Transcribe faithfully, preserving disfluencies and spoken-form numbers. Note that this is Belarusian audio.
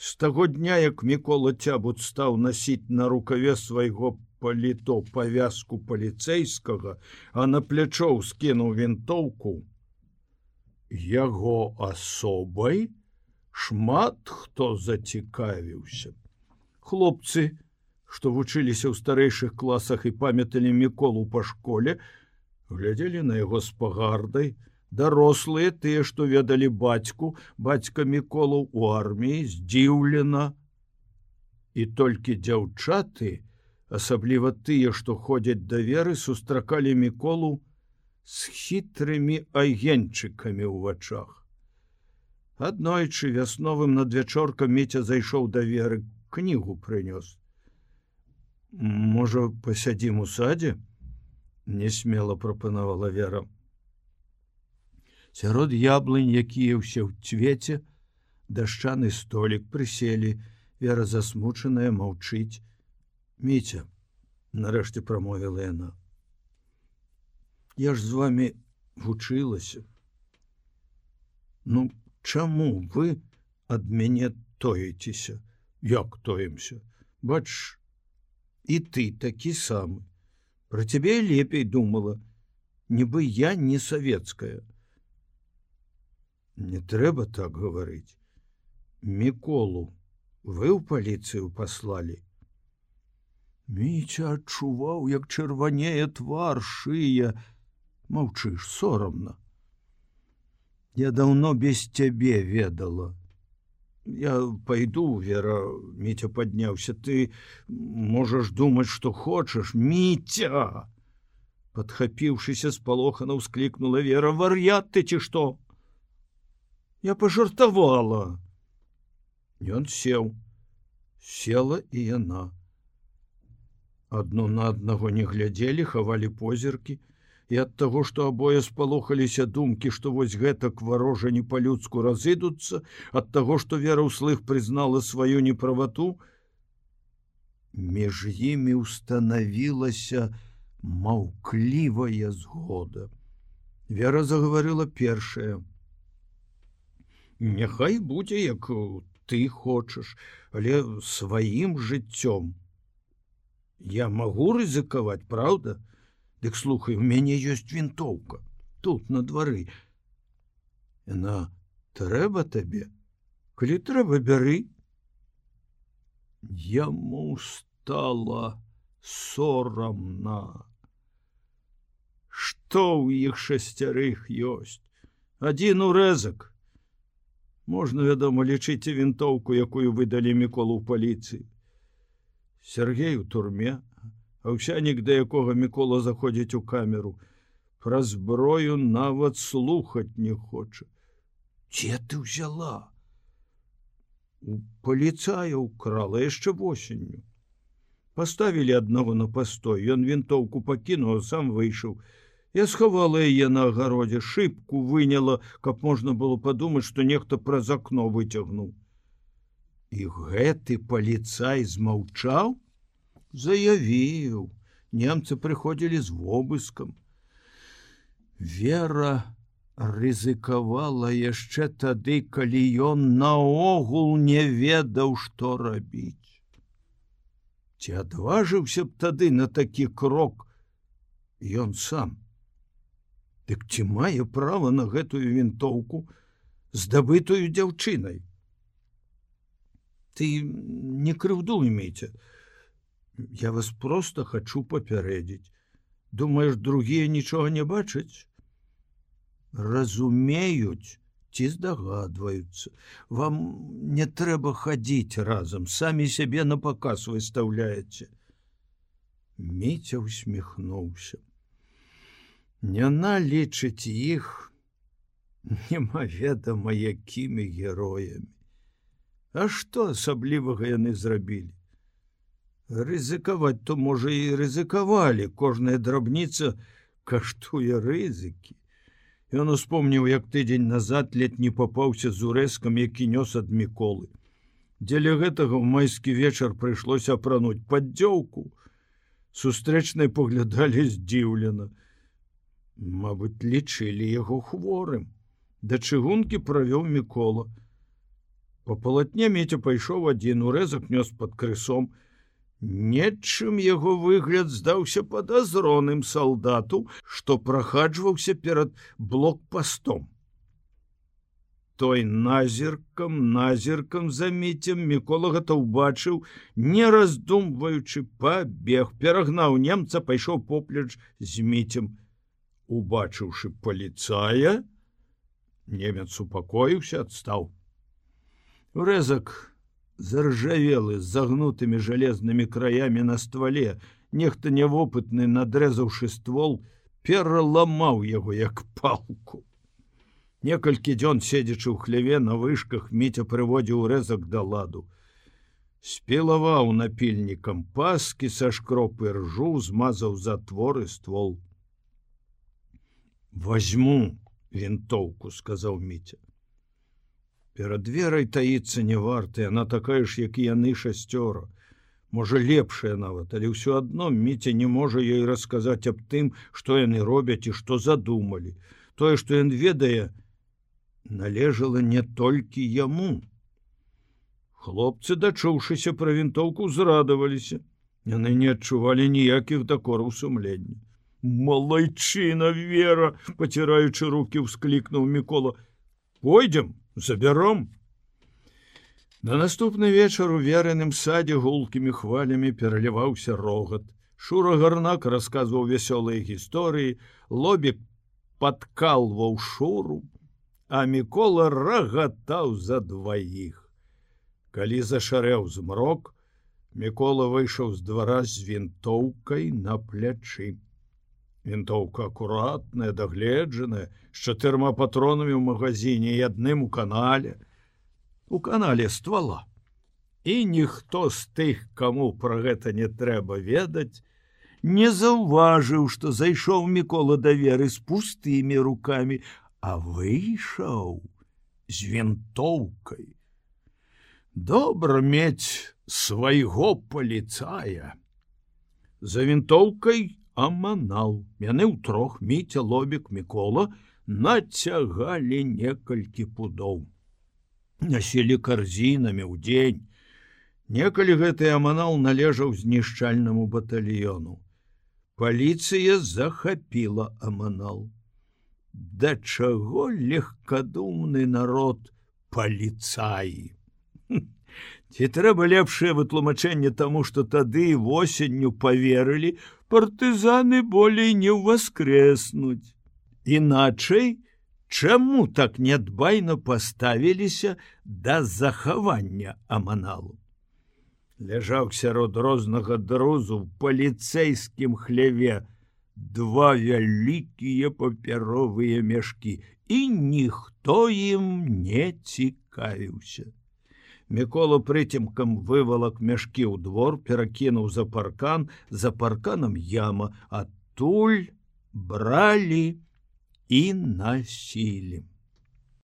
З таго дня, як Мікола Цябут стаў насіць на рукаве свайго паліто павязку паліцэйскага, а на плячо скінуў вінтоўку, яго асобай шмат хто зацікавіўся. Хлопцы, што вучыліся ў старэйшых класах і памяталі Міколу па школе, глядзелі на яго з пагардай. Дарослыя, тыя, што ведалі бацьку, бацька Міколу ў арміі, здзіўлена. І толькі дзяўчаты, асабліва тыя, што ходзяць да веры, сустракалі Міколу з хітрымі агеньчыкамі ў вачах. Аднойчы вясновым надвячоркам Міця зайшоў да веры, кнігу прынёс. Можа, пасядзім у садзе? Несмела прапанавала Вера. Сярод яблынь, якія ўсе ў цвеце, дашчаны столік прыселі, Вера засмучаная маўчыць. Міця, нарэшце прамовіла яна. Я ж з вамі вучылася. Ну, чаму вы ад мяне тоіцеся? Як тоімся? Бач, і ты такі самы. Пра цябе лепей думала, нібы я не савецкая. Не трэба так гаварыць. Міколу вы ў паліцыю паслалі. Міця адчуваў, як чырванее твар, шыя. Маўчыш, сорамна. Я даўно без цябе ведала. Я пайду, Вера, Міця падняўся. Ты можаш думаць, што хочаш. Міця! Падхапіўшыся спалохана ўсклікнула Вера. Вар'ят ты ці што? Я пажартавала. Ён сеў. Села і яна. Адно на аднаго не глядзелі, хавалі позіркі, і ад таго, што абое спалохаліся думкі, што вось гэтак варожа не па-людску разыдуцца, ад таго, што Вера ўслых прызнала сваю неправату, між імі ўстанавілася маўклівая згода. Вера загаварыла першая. Няхай будзе, як ты хочаш, але сваім жыццём. Я магу рызыкаваць, праўда? Дык слухай, у мяне ёсць вінтоўка. Тут, на двары. Яна трэба табе? Калі трэба, бяры. Яму стала сорамна. Што ў іх шасцярых ёсць? Адзін урэзак. Можна, вядома, лічыць вінтоўку, якую выдалі Міколу ў паліцыі. Сергей у турме, Аўсянік, да якога Мікола заходзіць у камеру, пра зброю нават слухаць не хоча. Дзе ты ўзяла? У паліцая ўкрала яшчэ восенню. Паставілі аднаго на пастой, ён вінтоўку пакінуў, а сам выйшаў. Я схавала яе на агародзе, шыбку выняла, каб можна было падумаць, што нехта праз акно выцягнуў. І гэты паліцай змаўчаў? Заявіў. Немцы прыходзілі з вобыскам. Вера рызыкавала яшчэ тады, калі ён наогул не ведаў, што рабіць. Ці адважыўся б тады на такі крок ён сам? Дык ці мае права на гэтую вінтоўку, здабытую дзяўчынай? Ты не крыўдуй, Міця. Я вас проста хачу папярэдзіць. Думаеш, другія нічога не бачаць? Разумеюць ці здагадваюцца. Вам не трэба хадзіць разам, самі сябе на паказ выстаўляеце. Міця усміхнуўся. Яна лічыць іх немаведама якімі героямі. А што асаблівага яны зрабілі? Рызыкаваць то, можа, і рызыкавалі. Кожная драбніца каштуе рызыкі. Ён успомніў, як тыдзень назад ледь не папаўся з урэзкам, які нёс ад Міколы. Дзеля гэтага ў майскі вечар прыйшлося апрануць паддзёўку. Сустрэчныя паглядалі здзіўлена. Мабыць, лічылі яго хворым. Да чыгункі правёў Мікола. Па палатне Міця пайшоў адзін, урэзак нёс пад крысом. Нечым яго выгляд здаўся падазроным салдату, што прахаджваўся перад блокпастом. Той назіркам, назіркам за Міцем Мікола гэта ўбачыў, не раздумваючы, пабег, перагнаў немца, пайшоў поплеч з Міцем. Убачыўшы паліцая, немец упакоіўся, адстаў. Урэзак заржавелы з загнутымі жалезнымі краямі на ствале, нехта нявопытны, надрэзаўшы ствол, пераламаў яго як палку. Некалькі дзён седзячы ў хляве на вышках, Міця прыводзіў урэзак да ладу. Спілаваў напільнікам паскі са шкропы ржу, змазаў затвор і ствол. «Возьму вінтоўку», — сказаў Міця. Перад верай таіцца не варта, яна такая ж, як і яны шасцёра. Можа, лепшая нават, але ўсё адно Міця не можа ёй расказаць аб тым, што яны робяць і што задумалі. Тое, што ён ведае, належала не толькі яму. Хлопцы, дачуўшыся пра вінтоўку, зрадаваліся. Яны не адчувалі ніякіх дакораў сумлення. «Малайчына, Вера!» — паціраючы рукі, ўсклікнуў Мікола. «Пойдзем, забяром». На наступны вечар у Верыным садзе гулкімі хвалямі пераліваўся рогат. Шура Гарнак расказваў вясёлыя гісторыі, Лобік падкалваў Шуру, а Мікола рагатаў за дваіх. Калі зашарэў змрок, Мікола выйшаў з двара з вінтоўкай на плячы. Вінтоўка акуратная, дагледжаная, з чатырма патронамі ў магазине і адным у канале. У канале ствала. І ніхто з тых, каму пра гэта не трэба ведаць, не заўважыў, што зайшоў Мікола да Веры з пустымі рукамі, а выйшаў з вінтоўкай. Добра мець свайго паліцая. За вінтоўкай аманал. Яны ўтрох, Міця, Лобік, Мікола, нацягалі некалькі пудоў. Насілі карзінамі ў дзень. Некалі гэты аманал належаў знішчальнаму батальёну. Паліцыя захапіла аманал. Да чаго легкадумны народ паліцаі? Ці трэба лепшае вытлумачэнне таму, што тады восенню паверылі, партызаны болей не ўваскрэснуць. Іначай, чаму так нядбайна паставіліся да захавання аманалу? Ляжаў сярод рознага друзу ў паліцэйскім хляве два вялікія папяровыя мяшкі, і ніхто ім не цікавіўся. Мікола прыцемкам вывалак мяшкі ў двор, перакінуў за паркан, за парканам яма, адтуль бралі і насілі.